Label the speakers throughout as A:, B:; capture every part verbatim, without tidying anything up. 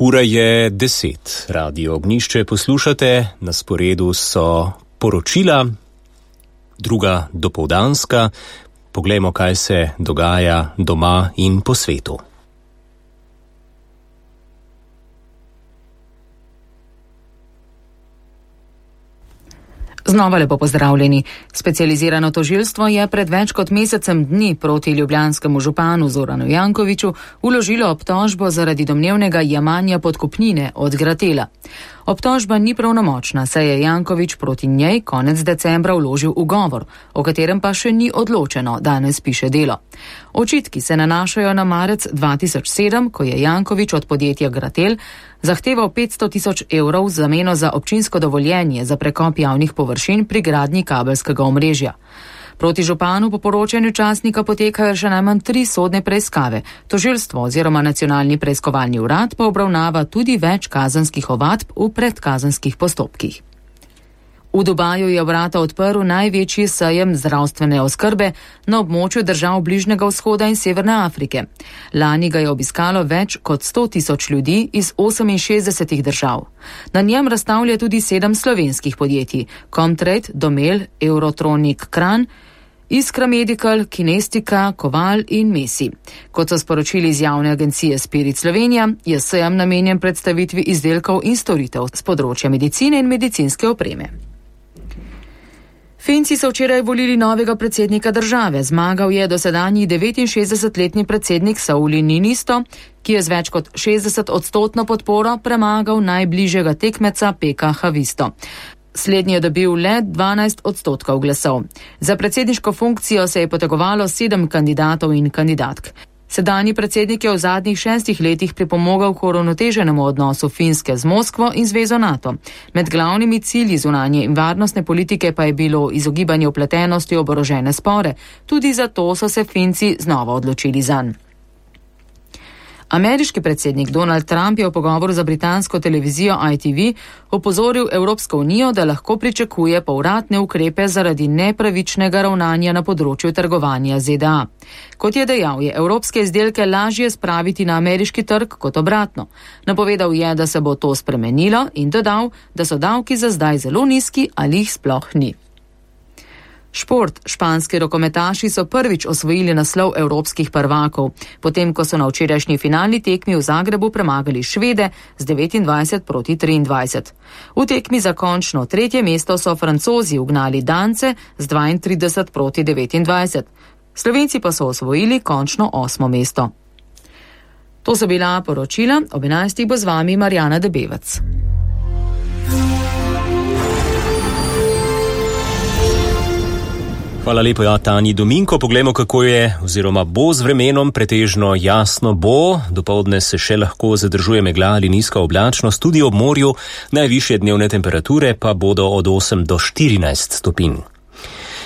A: Ura je deset. Radio Ognjišče poslušate, na sporedu so poročila, druga dopoldanska. Poglejmo, kaj se dogaja doma in po svetu.
B: Znova lepo pozdravljeni. Specializirano tožilstvo je pred več kot mesecem dni proti ljubljanskemu županu Zoranu Jankoviću vložilo obtožbo zaradi domnevnega jemanja podkupnine od Gratela. Obtožba ni pravnomočna, saj je Janković proti njej konec decembra vložil ugovor, o katerem pa še ni odločeno, danes piše Delo. Očitki se nanašajo na marec dva tisoč sedem, ko je Janković od podjetja Gratel zahteval petsto tisoč evrov v zameno za občinsko dovoljenje za prekop javnih površin pri gradnji kabelskega omrežja. Proti županu po poročanju časnika potekajo še najmanj tri sodne preiskave. Tožilstvo oziroma Nacionalni preiskovalni urad pa obravnava tudi več kazenskih ovadb v predkazenskih postopkih. V Dubaju je vrata odprl največji sejem zdravstvene oskrbe na območju držav Bližnjega vzhoda in Severne Afrike. Lani ga je obiskalo več kot sto tisoč ljudi iz oseminšestdesetih držav. Na njem razstavlja tudi sedem slovenskih podjetij: Comtrade, Domel, Eurotronic, Kran, Iskra Medical, Kinestika, Koval in Mesi. Kot so sporočili iz javne agencije Spirit Slovenija, je sejem namenjen predstavitvi izdelkov in storitev z področja medicine in medicinske opreme. Finci so včeraj volili novega predsednika države. Zmagal je dosedanji devetinšestdesetletni predsednik Sauli Niinisto, ki je z več kot šestdeset odstotno podporo premagal najbližjega tekmeca Peka Havisto. Slednji je dobil le dvanajst odstotkov glasov. Za predsedniško funkcijo se je potegovalo sedem kandidatov in kandidatk. Sedanji predsednik je v zadnjih šestih letih pripomogel k uravnoteženemu odnosu Finske z Moskvo in Zvezo NATO. Med glavnimi cilji zunanje in varnostne politike pa je bilo izogibanje vpletenosti v oborožene spore. Tudi zato so se Finci znova odločili zanj. Ameriški predsednik Donald Trump je v pogovoru za britansko televizijo I T V opozoril Evropsko unijo, da lahko pričakuje povratne ukrepe zaradi nepravičnega ravnanja na področju trgovanja Z D A. Kot je dejal, je evropske izdelke lažje spraviti na ameriški trg kot obratno. Napovedal je, da se bo to spremenilo in dodal, da so davki za zdaj zelo nizki ali jih sploh ni. Šport. Španski rokometaši so prvič osvojili naslov evropskih prvakov, potem ko so na včerajšnji finalni tekmi v Zagrebu premagali Švede z devetindvajset proti triindvajset. V tekmi za končno tretje mesto so Francozi ugnali Dance z dvaintrideset proti devetindvajset. Slovenci pa so osvojili končno osmo mesto. To so bila poročila, ob enajstih bo z vami Marjana Debevec.
A: Hvala lepo, ja, Tanji Dominko. Poglejmo, kako je oziroma bo z vremenom. Pretežno jasno bo, dopoldne se še lahko zadržuje megla ali nizka oblačnost, tudi ob morju. Najvišje dnevne temperature pa bodo od osem do štirinajst stopinj.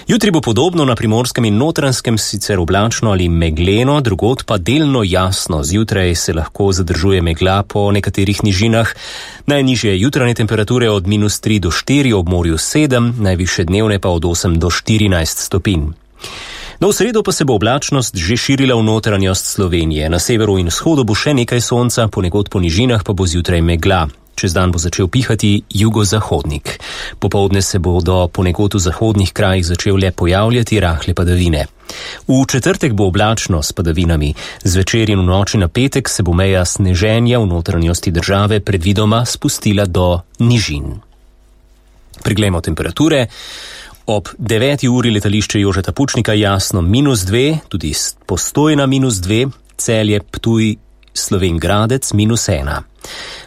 A: Jutri bo podobno, na Primorskem in Notranjskem sicer oblačno ali megleno, drugod pa delno jasno. Zjutraj se lahko zadržuje megla po nekaterih nižinah. Najnižje jutranje temperature od minus tri do štiri, ob morju sedem, najvišje dnevne pa od osem do štirinajst stopinj. No, v sredo pa se bo oblačnost že širila v notranjost Slovenije. Na severu in vzhodu bo še nekaj sonca, ponekod po nižinah pa bo zjutraj megla. Čez dan bo začel pihati jugozahodnik. Popoldne se bodo ponekod v zahodnih krajih začele pojavljati rahle padavine. V četrtek bo oblačno s padavinami. Zvečer in v noči na petek se bo meja sneženja v notranjosti države predvidoma spustila do nižin. Priglejmo temperature. Ob deveti uri letališče Jožeta Pučnika jasno minus dve, tudi Postojna minus dve, Celje, Ptuj, Slovenj Gradec minus ena.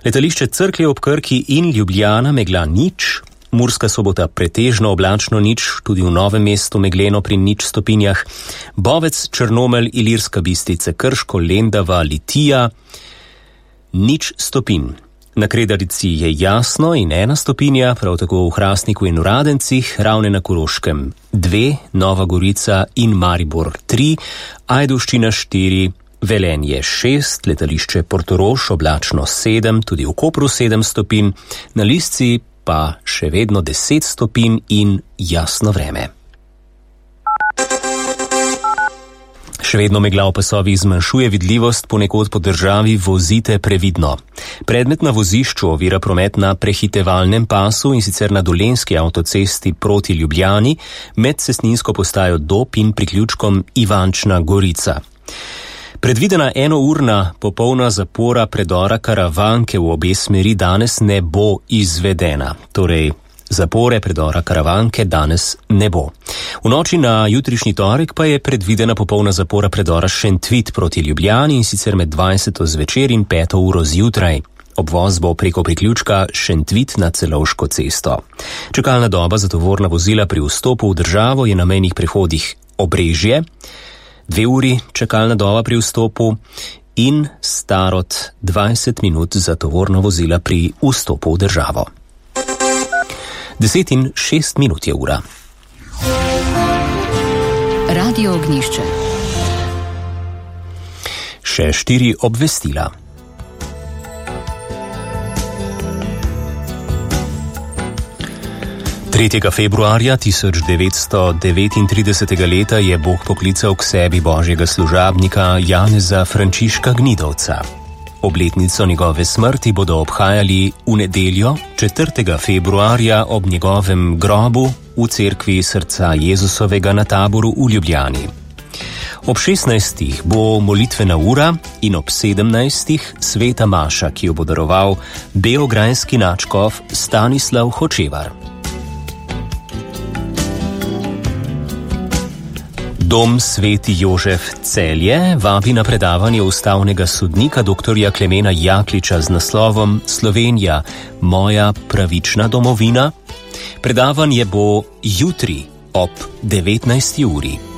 A: Letališče Cerklje ob Krki in Ljubljana megla nič, Murska Sobota pretežno oblačno nič, tudi v Novem mestu megleno pri nič stopinjah, Bovec, Črnomelj, Ilirska Bistrica, Krško, Lendava, Litija, nič stopinj. Na Kredarici je jasno in ena stopinja, prav tako v Hrastniku in v Radencih, Ravne na Koroškem dve, Nova Gorica in Maribor tri, Ajdovščina štiri, Velenje šest, letališče Portorož oblačno sedem, tudi v Kopru sedem stopinj, na Lisci pa še vedno deset stopinj in jasno vreme. Še vedno megla v pasovih zmanjšuje vidljivost, ponekod po državi vozite previdno. Predmet na vozišču ovira promet na prehitevalnem pasu in sicer na Dolenjski avtocesti proti Ljubljani med cestninsko postajo Dob in priključkom Ivančna Gorica. Predvidena enourna popolna zapora predora Karavanke v obe smeri danes ne bo izvedena. Torej, zapore predora Karavanke danes ne bo. V noči na jutrišnji torek pa je predvidena popolna zapora predora Šentvit proti Ljubljani in sicer med dvajseto zvečer in peto uro zjutraj. Obvoz bo preko priključka Šentvit na Celovško cesto. Čakalna doba za tovorna vozila pri vstopu v državo je na mejnih prehodih Obrežje, dve uri čakalna doba pri vstopu in Starod dvajset minut za tovorna vozila pri vstopu v državo. Deset in šest minut je ura.
B: Radio Ognjišče.
A: Še štiri obvestila. tretjega februarja tisoč devetsto devetintridesetega leta je Bog poklical k sebi božjega služabnika Janeza Frančiška Gnidovca. Obletnico njegove smrti bodo obhajali v nedeljo, četrtega februarja ob njegovem grobu v cerkvi Srca Jezusovega na Taboru v Ljubljani. Ob šestnajstih bo molitvena ura in ob sedemnajstih sveta maša, ki jo bo daroval beograjski nadškof Stanislav Hočevar. Dom Sveti Jožef Celje vabi na predavanje ustavnega sodnika doktorja Klemena Jakliča z naslovom Slovenija, moja pravična domovina. Predavanje bo jutri ob devetnajsti uri.